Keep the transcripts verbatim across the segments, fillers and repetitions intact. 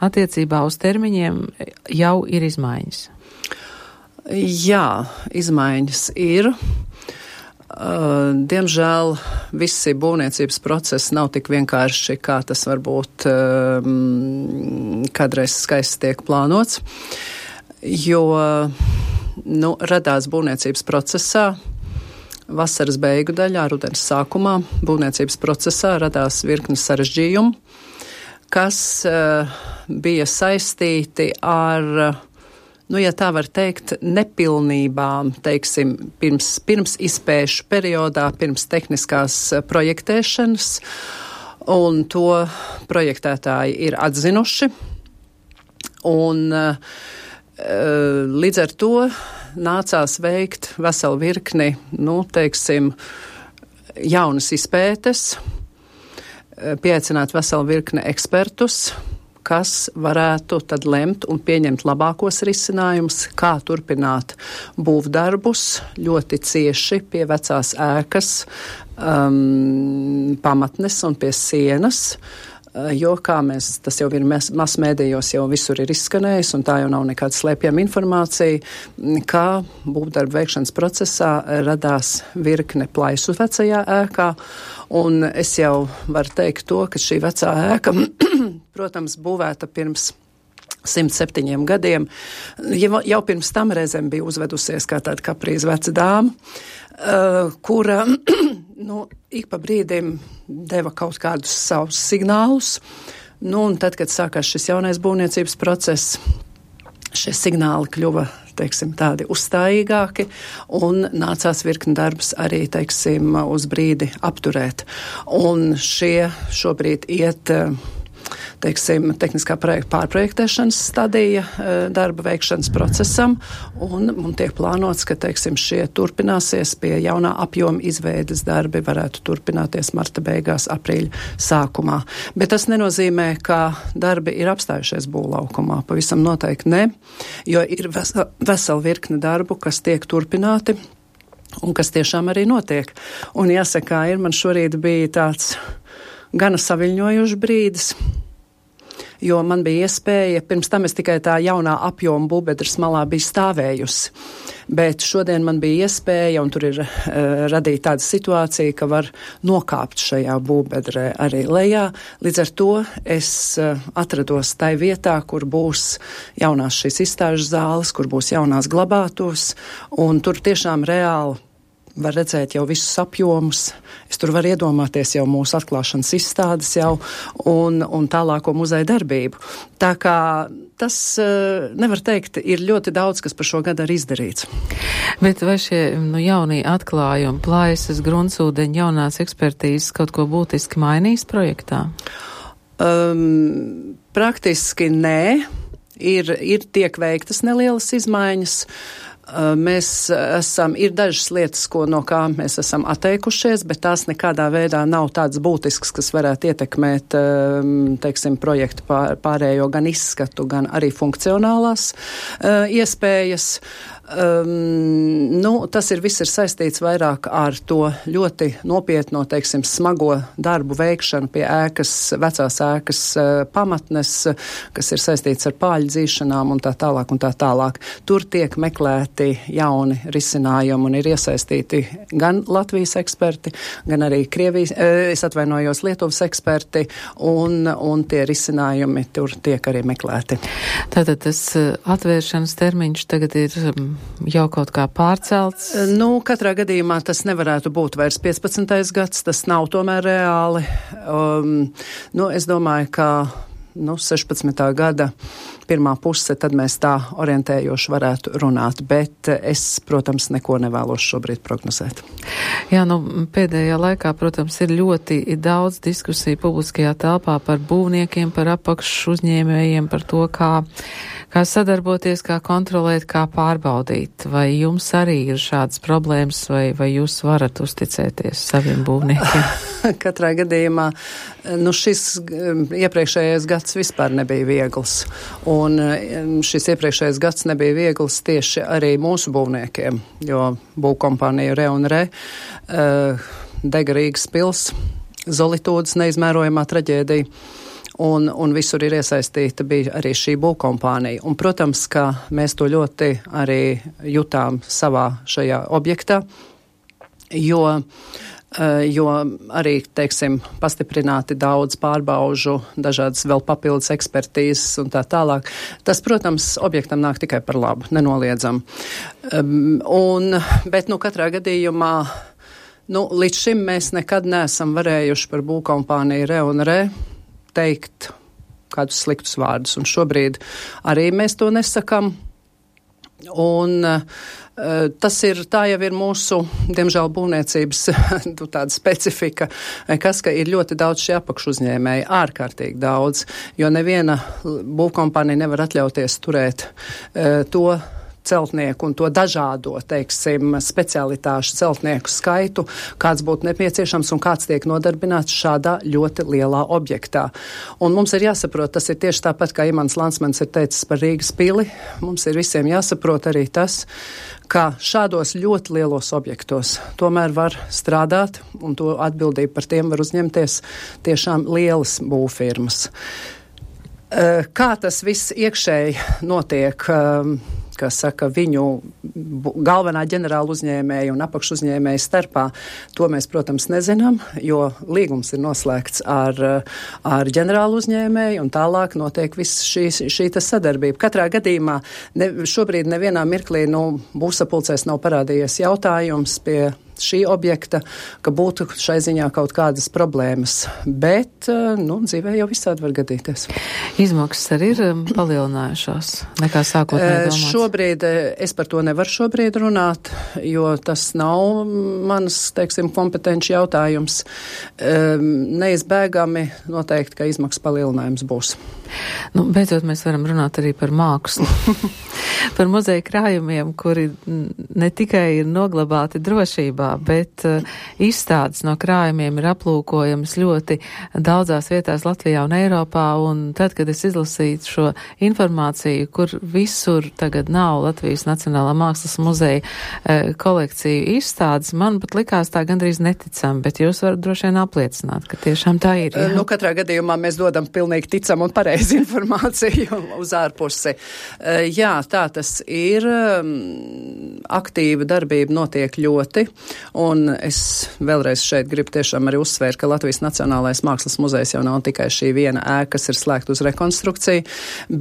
attiecībā uz termiņiem jau ir izmaiņas? Jā, izmaiņas ir. Uh, diemžēl visi būvniecības procesi nav tik vienkārši, kā tas varbūt um, kādreiz skaisti tiek plānots, jo nu, radās būvniecības procesā vasaras beigu daļā, rudens sākumā būvniecības procesā radās virkni sarežģījumu, kas uh, bija saistīti ar nu, ja tā var teikt, nepilnībām, teiksim, pirms, pirms izpēšu periodā, pirms tehniskās projektēšanas, un to projektētāji ir atzinuši, un līdz ar to nācās veikt veselu virkni, nu, teiksim, jaunas izpētes, pieaicināt veselu virkni ekspertus, kas varētu tad lemt un pieņemt labākos risinājumus, kā turpināt būvdarbus ļoti cieši pie vecās ēkas um, pamatnes un pie sienas, jo, kā mēs, tas jau ir masmēdījos, jau visur ir izskanējis, un tā jau nav nekāda slēpjama informācija, kā būvdarbu veikšanas procesā radās virkne plaisu vecajā ēkā, un es jau varu teikt to, ka šī vecā ēka, protams, būvēta pirms simt septiņiem gadiem, jau, jau pirms tam reizēm bija uzvedusies kā tāda kaprīza veca dāma, uh, kura, nu, ik pa brīdim deva kaut kādus savus signālus, nu, un tad, kad sākās šis jaunais būvniecības process, šie signāli kļuva, teiksim, tādi uzstājīgāki, un nācās virkni darbus arī, teiksim, uz brīdi apturēt. Un šie šobrīd iet, teiksim, tehniskā projekta pārprojektēšanas stadija darba veikšanas procesam, un, un tiek plānots, ka, teiksim, šie turpināsies pie jaunā apjoma izveides darbi, varētu turpināties marta beigās, aprīļa sākumā. Bet tas nenozīmē, ka darbi ir apstājušies būvlaukumā. Pavisam noteikti ne, jo ir vesela, vesela virkne darbu, kas tiek turpināti, un kas tiešām arī notiek. Un jāsaka, ir man šorīt bija tāds gana saviļņojuši brīdis, jo man bija iespēja, pirms tam es tikai tā jaunā apjoma būvbedres malā biju stāvējusi, bet šodien man bija iespēja, un tur ir uh, radīta tāda situācija, ka var nokāpt šajā būvbedrē arī lejā. Līdz ar to es uh, atrados tai vietā, kur būs jaunās šīs izstāžu zāles, kur būs jaunās glabātos, un tur tiešām reāli var redzēt jau visus apjomus. Es tur varu iedomāties jau mūsu atklāšanas izstādes jau un, un tālāko muzeja darbību. Tā kā tas, nevar teikt, ir ļoti daudz, kas par šo gadu arī izdarīts. Bet vai šie nu, jaunie atklājumi, plaisas, gruntsūdeņi, jaunās ekspertīzes kaut ko būtiski mainīs projektā? Um, praktiski nē. Ir, ir tiek veiktas nelielas izmaiņas. Mēs esam, ir dažas lietas, ko no kā mēs esam atteikušies, bet tās nekādā veidā nav tādas būtiskas, kas varētu ietekmēt, teiksim, projektu pār, pārējo gan izskatu, gan arī funkcionālās uh, iespējas. Um, nu, tas ir viss ir saistīts vairāk ar to ļoti nopietno, teiksim, smago darbu veikšanu pie ēkas, vecās ēkas uh, pamatnes, kas ir saistīts ar pāļu dzīšanām un tā tālāk un tā tālāk. Tur tiek meklēti jauni risinājumi un ir iesaistīti gan Latvijas eksperti, gan arī Krievijas, uh, es atvainojos, Lietuvas eksperti, un, un tie risinājumi tur tiek arī meklēti. Tātad tas atvēršanas termiņš tagad ir jau kaut kā pārcelts? Nu, katrā gadījumā tas nevarētu būt vairs piecpadsmitais gads, tas nav tomēr reāli. Um, nu, es domāju, ka nu, sešpadsmitā gada pirmā puse, tad mēs tā orientējoši varētu runāt, bet es, protams, neko nevēlos šobrīd prognozēt. Jā, nu, pēdējā laikā, protams, ir ļoti daudz diskusiju publiskajā telpā par būvniekiem, par apakšu uzņēmējiem, par to, kā, kā sadarboties, kā kontrolēt, kā pārbaudīt. Vai jums arī ir šādas problēmas, vai, vai jūs varat uzticēties saviem būvniekiem? Katrā gadījumā, nu, šis iepriekšējais gads vispār nebija viegls. Un šis iepriekšējais gads nebija viegls tieši arī mūsu būvniekiem, jo būvkompānija Re un Re, uh, dega Rīgas pils, Zolitūdas neizmērojamā traģēdija. un, un visur ir iesaistīta bija arī šī būvkompānija. Un, protams, ka mēs to ļoti arī jutām savā šajā objektā, jo jo arī, teiksim, pastiprināti daudz pārbaužu, dažādas vēl papildus ekspertīzes un tā tālāk. Tas, protams, objektam nāk tikai par labu, nenoliedzam. Un, bet, nu, katrā gadījumā, nu, līdz šim mēs nekad neesam varējuši par būvkompāniju Re un Re teikt kādus sliktus vārdus, un šobrīd arī mēs to nesakam. Un uh, tas ir, tā jau ir mūsu, diemžēl, būvniecības tāda specifika, kas, ka ir ļoti daudz šie apakšuzņēmēji, ārkārtīgi daudz, jo neviena būvkompānija nevar atļauties turēt uh, to celtnieku un to dažādo, teiksim, specialitāšu celtnieku skaitu, kāds būtu nepieciešams un kāds tiek nodarbināts šādā ļoti lielā objektā. Un mums ir jāsaprot, tas ir tieši tāpat, kā Imants Lansmans ir teicis par Rīgas pili, mums ir visiem jāsaprot arī tas, ka šādos ļoti lielos objektos tomēr var strādāt, un to atbildību par tiem var uzņemties tiešām lielas būvfirmas. Kā tas viss iekšēji notiek, kas saka, viņu galvenā ģenerāla uzņēmēja un apakšuzņēmēja starpā, to mēs, protams, nezinām, jo līgums ir noslēgts ar, ar ģenerālu uzņēmēju un tālāk notiek viss šī, šī tas sadarbība. Katrā gadījumā ne, šobrīd nevienā mirklī, nu, būvsapulcēs nav parādījies jautājums pie šī objekta, ka būtu šai ziņā kaut kādas problēmas. Bet, nu, dzīvē jau visādi var gadīties. Izmaksas arī ir palielinājušās nekā sākotnēji domāts? Šobrīd es par to nevaru šobrīd runāt, jo tas nav manas, teiksim, kompetenci jautājums. Neizbēgami noteikti, ka izmaksas palielinājums būs. Nu, beidzot, mēs varam runāt arī par mākslu. Par muzeja krājumiem, kuri ne tikai ir noglabāti drošībā, bet uh, izstādes no krājumiem ir aplūkojamas ļoti daudzās vietās Latvijā un Eiropā, un tad, kad es izlasīju šo informāciju, kur visur tagad nav Latvijas Nacionālā mākslas muzeja uh, kolekciju izstādes, man pat likās tā gandrīz neticam, bet jūs varat droši vien apliecināt, ka tiešām tā ir. Jā? Nu, katrā gadījumā mēs dodam pilnīgi ticam un pareizi informāciju uz ārpusi. Uh, jā, tā tas ir. Um, aktīva darbība notiek ļoti, un es vēlreiz šeit gribu tiešām arī uzsvērt, ka Latvijas Nacionālais mākslas muzejs jau nav tikai šī viena ēka, kas ir slēgta uz rekonstrukciju,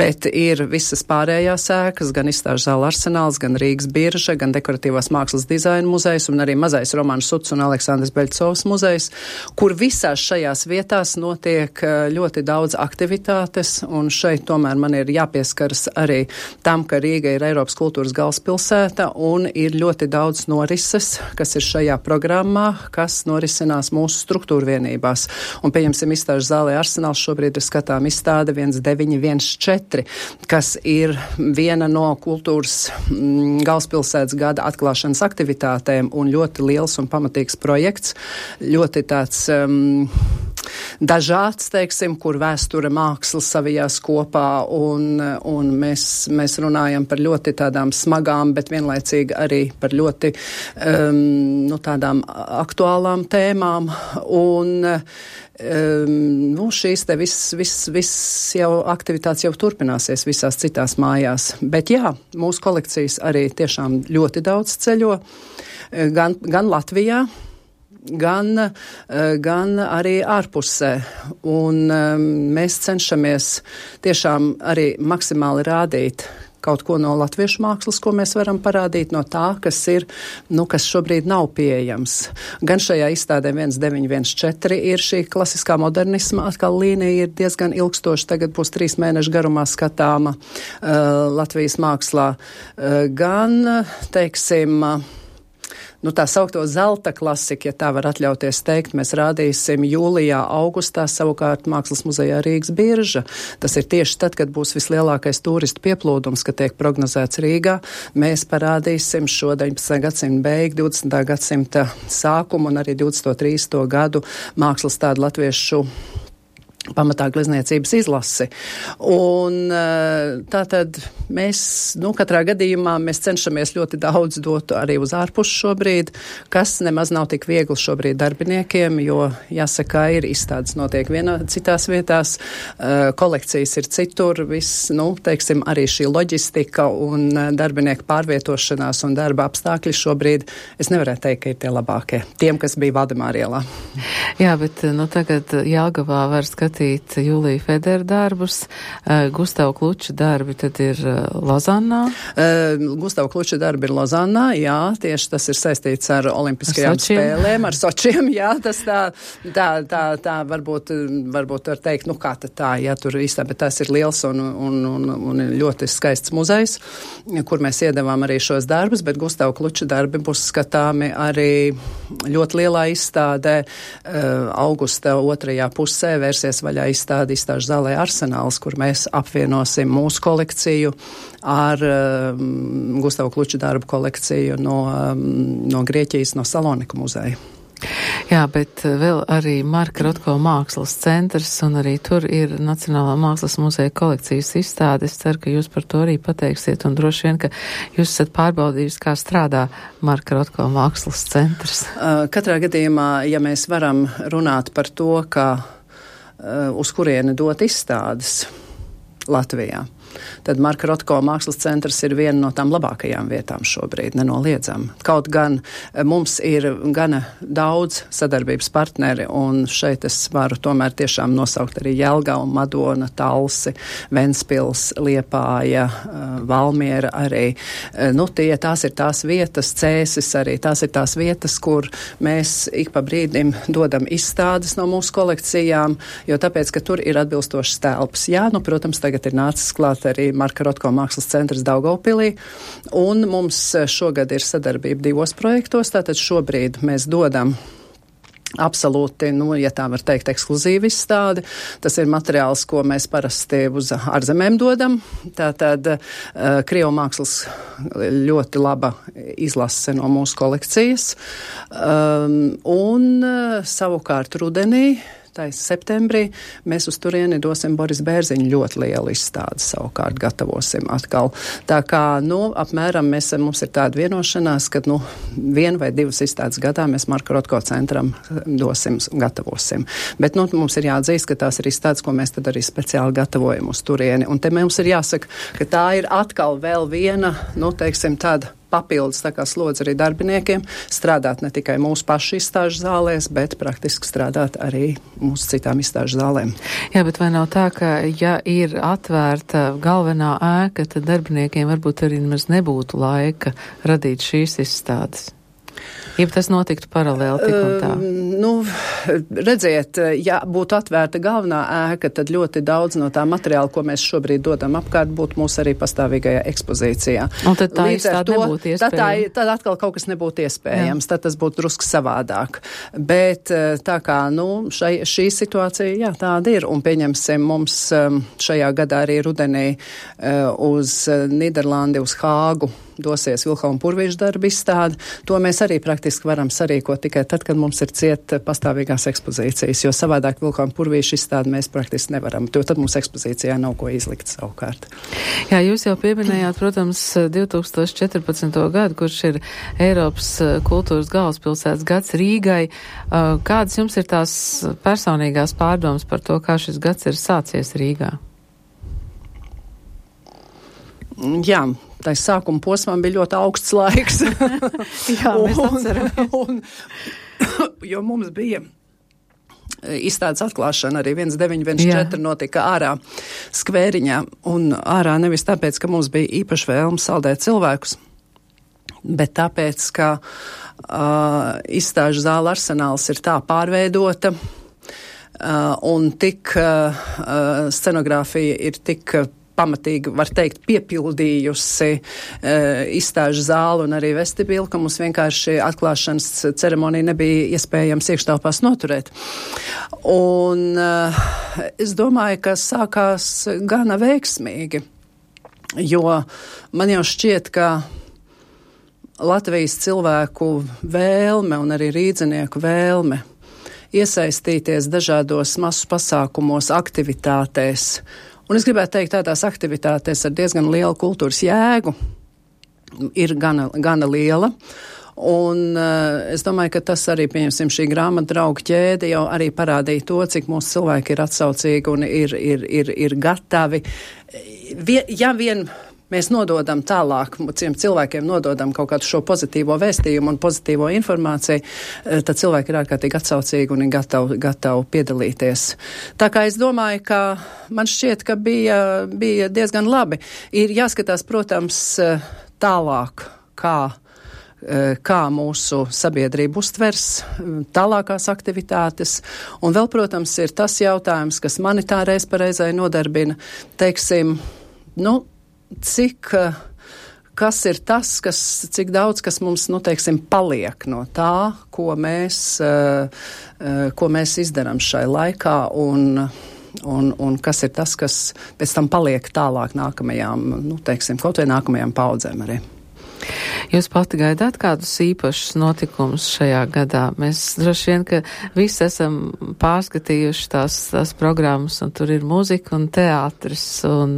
bet ir visas pārējās ēkas, gan izstāžu zāle Arsenāls, gan Rīgas birža, gan dekoratīvās mākslas dizaina muzejs un arī mazais Romanis Suts un Aleksandrs Beļcovs muzejs, kur visās šajās vietās notiek ļoti daudz aktivitātes, un šeit tomēr man ir jāpieskaras arī tam, ka Rīga ir Eiropas kultūras galvaspilsēta un ir ļoti daudz norises, kas ir šajā programmā, kas norisinās mūsu struktūra vienībās. Un, pieņemsim, izstāžu zālē Arsenāls šobrīd ir skatām izstāde viens deviņi viens četri, kas ir viena no kultūras mm, galvaspilsētas gada atklāšanas aktivitātēm un ļoti liels un pamatīgs projekts. Ļoti tāds um, dažāds, teiksim, kur vēsture māksla savijās kopā, un, un mēs, mēs runājam par ļoti tādām smagām, bet vienlaicīgi arī par ļoti um, nu, tādām aktuālām tēmām, un um, nu, šīs te viss, viss, viss jau aktivitātes jau turpināsies visās citās mājās. Bet jā, mūsu kolekcijas arī tiešām ļoti daudz ceļo, gan, gan Latvijā, Gan, gan arī ārpusē. Un um, mēs cenšamies tiešām arī maksimāli rādīt kaut ko no latviešu mākslas, ko mēs varam parādīt no tā, kas ir, nu, kas šobrīd nav pieejams. Gan šajā izstādē viens deviņi viens četri ir šī klasiskā modernisma atkal līnija, ir diezgan ilgstoša, tagad būs trīs mēnešu garumā skatāma uh, Latvijas mākslā. Uh, gan, teiksim, uh, Nu, tā saukto zelta klasika, ja tā var atļauties teikt, mēs rādīsim jūlijā, augustā, savukārt Mākslas muzejā Rīgas birža. Tas ir tieši tad, kad būs vislielākais turistu pieplūdums, kad tiek prognozēts Rīgā. Mēs parādīsim šo deviņpadsmitā gadsimta beigu, divdesmitā gadsimta sākumu un arī divdesmito trīsdesmito gadu mākslas tādu latviešu pamatā glezniecības izlasi. Un tātad mēs, nu, katrā gadījumā mēs cenšamies ļoti daudz dot arī uz ārpusi šobrīd, kas nemaz nav tik viegli šobrīd darbiniekiem, jo, jāsaka, ir izstādes notiek vienā citās vietās, kolekcijas ir citur, viss, nu, teiksim, arī šī loģistika un darbinieku pārvietošanās un darba apstākļi šobrīd, es nevarētu teikt, ka ir tie labākie, tiem, kas bija Valdemāra ielā. Jā, bet, nu, tagad Jelgavā var skatīt Jūlija Federa darbus, uh, Gustava Kluča darbi tad ir uh, Lozannā. Uh, Gustava Kluča darbi ir Lozannā, jā, tieši tas ir saistīts ar olimpiskajām ar spēlēm, ar Sočiem, jā, tas tā, tā, tā, tā varbūt, varbūt var teikt, nu kā tad tā, jā, tur īstā, bet tas ir liels un, un, un, un ļoti skaists muzejs, kur mēs iedevām arī šos darbus, bet Gustava Kluča darbi būs skatāmi arī ļoti lielā izstādē uh, augusta otrajā pusē vērsies vaļā izstādi izstāžu zālē Arsenāls, kur mēs apvienosim mūsu kolekciju ar um, Gustava Kluča darbu kolekciju no, um, no Grieķijas, no Saloniku muzeja. Jā, bet vēl arī Marka Rotko mākslas centrs, un arī tur ir Nacionālā mākslas muzeja kolekcijas izstāde. Es ceru, ka jūs par to arī pateiksiet, un droši vien, ka jūs esat pārbaudījusi, kā strādā Marka Rotko mākslas centrs. Uh, katrā gadījumā, ja mēs varam runāt par to, ka uz kurieni dot izstādes Latvijā, tad Marka Rotko mākslas centrs ir viena no tām labākajām vietām šobrīd, nenoliedzam. Kaut gan mums ir gana daudz sadarbības partneri, un šeit es varu tomēr tiešām nosaukt arī Jelgavu, Madona, Talsi, Ventspils, Liepāja, Valmiera arī. Nu, tie, tās ir tās vietas, Cēsis arī, tās ir tās vietas, kur mēs ik pa brīdim dodam izstādes no mūsu kolekcijām, jo tāpēc, ka tur ir atbilstošs telpas. Jā, nu, protams, tagad ir nācis klāt arī Marka Rotko mākslas centrs Daugavpilī, un mums šogad ir sadarbība divos projektos, tātad šobrīd mēs dodam absolūti, nu, ja tā var teikt, ekskluzīvi izstādi. Tas ir materiāls, ko mēs parasti uz ārzemēm dodam. Tātad uh, Krievu mākslas ļoti laba izlase no mūsu kolekcijas. Um, un uh, savukārt rudenī, septembrī, mēs uz turieni dosim Boris Bērziņu ļoti lielu izstādi savukārt gatavosim atkal. Tā kā, nu, apmēram mēs, mums ir tāda vienošanās, ka, nu, vienu vai divas izstādes gadā mēs Marka Rotko centram dosim, gatavosim. Bet, nu, mums ir jāatzīst, ka tās ir izstādes, ko mēs tad arī speciāli gatavojam uz turieni. Un te mums ir jāsaka, ka tā ir atkal vēl viena, nu, teiksim, tāda papildus tā kā slodze arī darbiniekiem, strādāt ne tikai mūsu pašu izstāžu zālēs, bet praktiski strādāt arī mūsu citām izstāžu zālēm. Jā, bet vai nav tā, ka ja ir atvērta galvenā ēka, tad darbiniekiem varbūt arī nemaz nebūtu laika radīt šīs izstādes? Ja tas notiktu paralēli tik un tā? Uh, nu, redziet, ja būtu atvērta galvenā ēka, tad ļoti daudz no tā materiāla, ko mēs šobrīd dodam apkārt, būtu mūsu arī pastāvīgajā ekspozīcijā. Un tad tā Līdz ar to, nebūtu iespējams? Tad, tā, tad atkal kaut kas nebūtu iespējams, jā. Tad tas būtu drusku savādāk. Bet tā kā, nu, šai, šī situācija, jā, tāda ir, un pieņemsim mums šajā gadā arī rudenī uz Nīderlandi, uz Hāgu dosies Vilhelma Purvīša darba izstāde. To mēs arī praktiski varam sarīkot tikai tad, kad mums ir ciet pastāvīgās ekspozīcijas, jo savādāk Vilhelma Purvīša izstādi mēs praktiski nevaram, jo tad mums ekspozīcijā nav ko izlikt savukārt. Jā, jūs jau pieminējāt, protams, divi tūkstoši četrpadsmito gadu, kurš ir Eiropas kultūras galvaspilsētas gads Rīgai. Kādas jums ir tās personīgās pārdomas par to, kā šis gads ir sācies Rīgā? Jā, tā sākuma posmam bija ļoti augsts laiks. Jā, mēs atceramies. Un, jo mums bija izstādes atklāšana arī viens deviņi viens četri notika ārā skvēriņā, un ārā nevis tāpēc, ka mums bija īpaši vēlme saldēt cilvēkus, bet tāpēc, ka uh, izstāžu zāle Arsenāls ir tā pārveidota, uh, un tik uh, scenogrāfija ir tik pamatīgi, var teikt, piepildījusi e, izstāžu zāli un arī vestibīlu, ka mums vienkārši atklāšanas ceremonija nebija iespējams iekštelpās noturēt. Un e, es domāju, ka sākās gana veiksmīgi, jo man jau šķiet, ka Latvijas cilvēku vēlme un arī rīdzinieku vēlme iesaistīties dažādos masu pasākumos, aktivitātēs. Un es gribētu teikt, tādās aktivitātēs ar diezgan lielu kultūras jēgu ir gana, gana liela. Un uh, es domāju, ka tas arī, pieņemsim, šī grāmata draugu ķēde jau arī parādīja to, cik mūsu cilvēki ir atsaucīgi un ir, ir, ir, ir gatavi. Vien, ja vien mēs nododam tālāk, ciem cilvēkiem nododam kaut kādu šo pozitīvo vēstījumu un pozitīvo informāciju, tad cilvēki ir ārkārtīgi atsaucīgi un ir gatavi, gatavi piedalīties. Tā kā es domāju, ka man šķiet, ka bija, bija diezgan labi. Ir jāskatās, protams, tālāk, kā kā mūsu sabiedrība uztvers tālākās aktivitātes. Un vēl, protams, ir tas jautājums, kas mani tā reiz pareizai nodarbina, teiksim, nu, cik, kas ir tas, kas, cik daudz, kas mums, nu, teiksim, paliek no tā, ko mēs, ko mēs izdarām šai laikā un Un, un kas ir tas, kas pēc tam paliek tālāk nākamajām, nu, teiksim, kaut vai nākamajām paudzēm arī. Jūs pati gaidāt kādus īpašus notikumus šajā gadā? Mēs droši vien, ka visi esam pārskatījuši tās, tās programmas, un tur ir muzika un teātris, un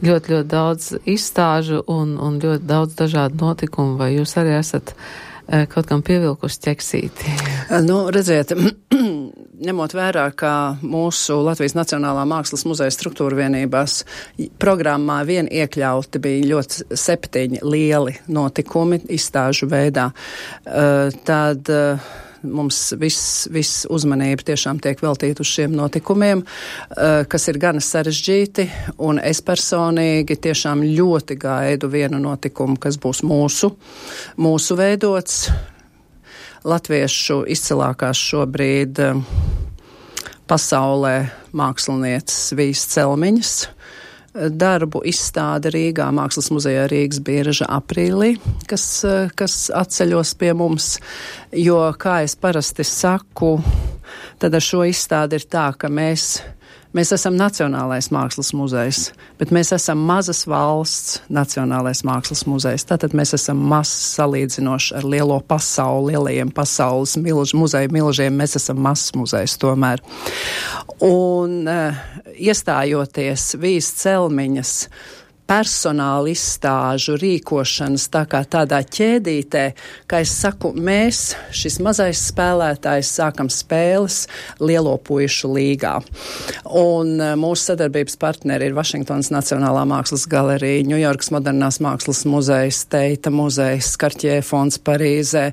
ļoti, ļoti daudz izstāžu un, un ļoti daudz dažādu notikumu. Vai jūs arī esat kaut kam pievilkusi ķeksīti? Nu, redziet, ņemot vērā, ka mūsu Latvijas Nacionālā mākslas muzeja struktūra vienībās programmā vien iekļauti bija ļoti septiņi lieli notikumi izstāžu veidā, tad mums viss, viss uzmanība tiešām tiek veltīta uz šiem notikumiem, kas ir gana sarežģīti, un es personīgi tiešām ļoti gaidu vienu notikumu, kas būs mūsu, mūsu veidots. Latviešu izcilākās šobrīd pasaulē mākslinieces Vijas Celmiņas darbu izstāde Rīgā, Mākslas muzejā Rīgas Bieža aprīlī, kas, kas atceļos pie mums, jo, kā es parasti saku, tad ar šo izstādi ir tā, ka mēs Mēs esam Nacionālais mākslas muzejs, bet mēs esam mazas valsts Nacionālais mākslas muzejs. Tātad mēs esam mazs salīdzinoši ar lielo pasauli, lielajiem pasaules milž, muzeju milžiem. Mēs esam mazs muzejs tomēr. Un uh, iestājoties Vijas Celmiņas personāla izstāžu rīkošanas tā kā tādā ķēdītē, kā es saku, mēs, šis mazais spēlētājs, sākam spēles lielo puišu līgā. Un mūsu sadarbības partneri ir Vašingtonas Nacionālā mākslas galerija, Ņujorkas Modernās mākslas muzejs, Teita muzejs, Kartjē fonds Parīzē,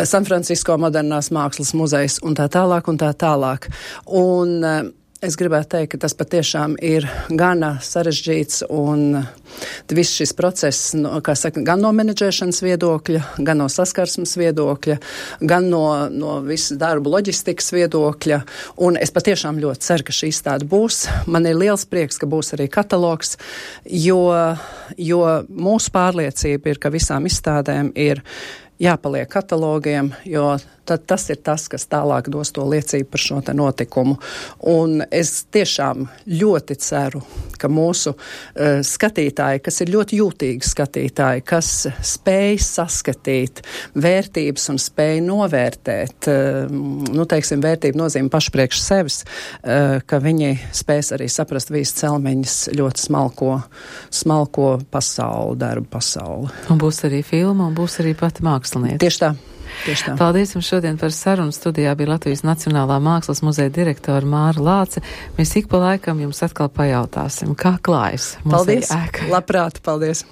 San Francisco Modernās mākslas muzejs un tā tālāk un tā tālāk. Un es gribētu teikt, ka tas patiešām ir gana sarežģīts un viss šis process, no, kā saka, gan no menedžēšanas viedokļa, gan no saskarsmes viedokļa, gan no, no visu darbu loģistikas viedokļa. Un es patiešām ļoti ceru, ka šī izstāde būs. Man ir liels prieks, ka būs arī katalogs, jo, jo mūsu pārliecība ir, ka visām izstādēm ir jāpaliek katalogiem, jo tad tas ir tas, kas tālāk dos to liecību par šo te notikumu. Un es tiešām ļoti ceru, ka mūsu uh, skatītāji, kas ir ļoti jūtīgi skatītāji, kas spēj saskatīt vērtības un spēj novērtēt, uh, nu, teiksim, vērtību nozīme paši priekš sevis, uh, ka viņi spēs arī saprast Vijas Celmiņas ļoti smalko, smalko pasauli, darbu pasauli. Un būs arī filma, un būs arī pati mākslinieca. Tieši tā. Tieši tā. Paldies jums šodien par sarunu. Studijā bija Latvijas Nacionālā mākslas muzeja direktora Māra Lāce. Mēs ik pa laikam jums atkal pajautāsim, kā klājas muzeja ēka. Paldies, labprāt, paldies.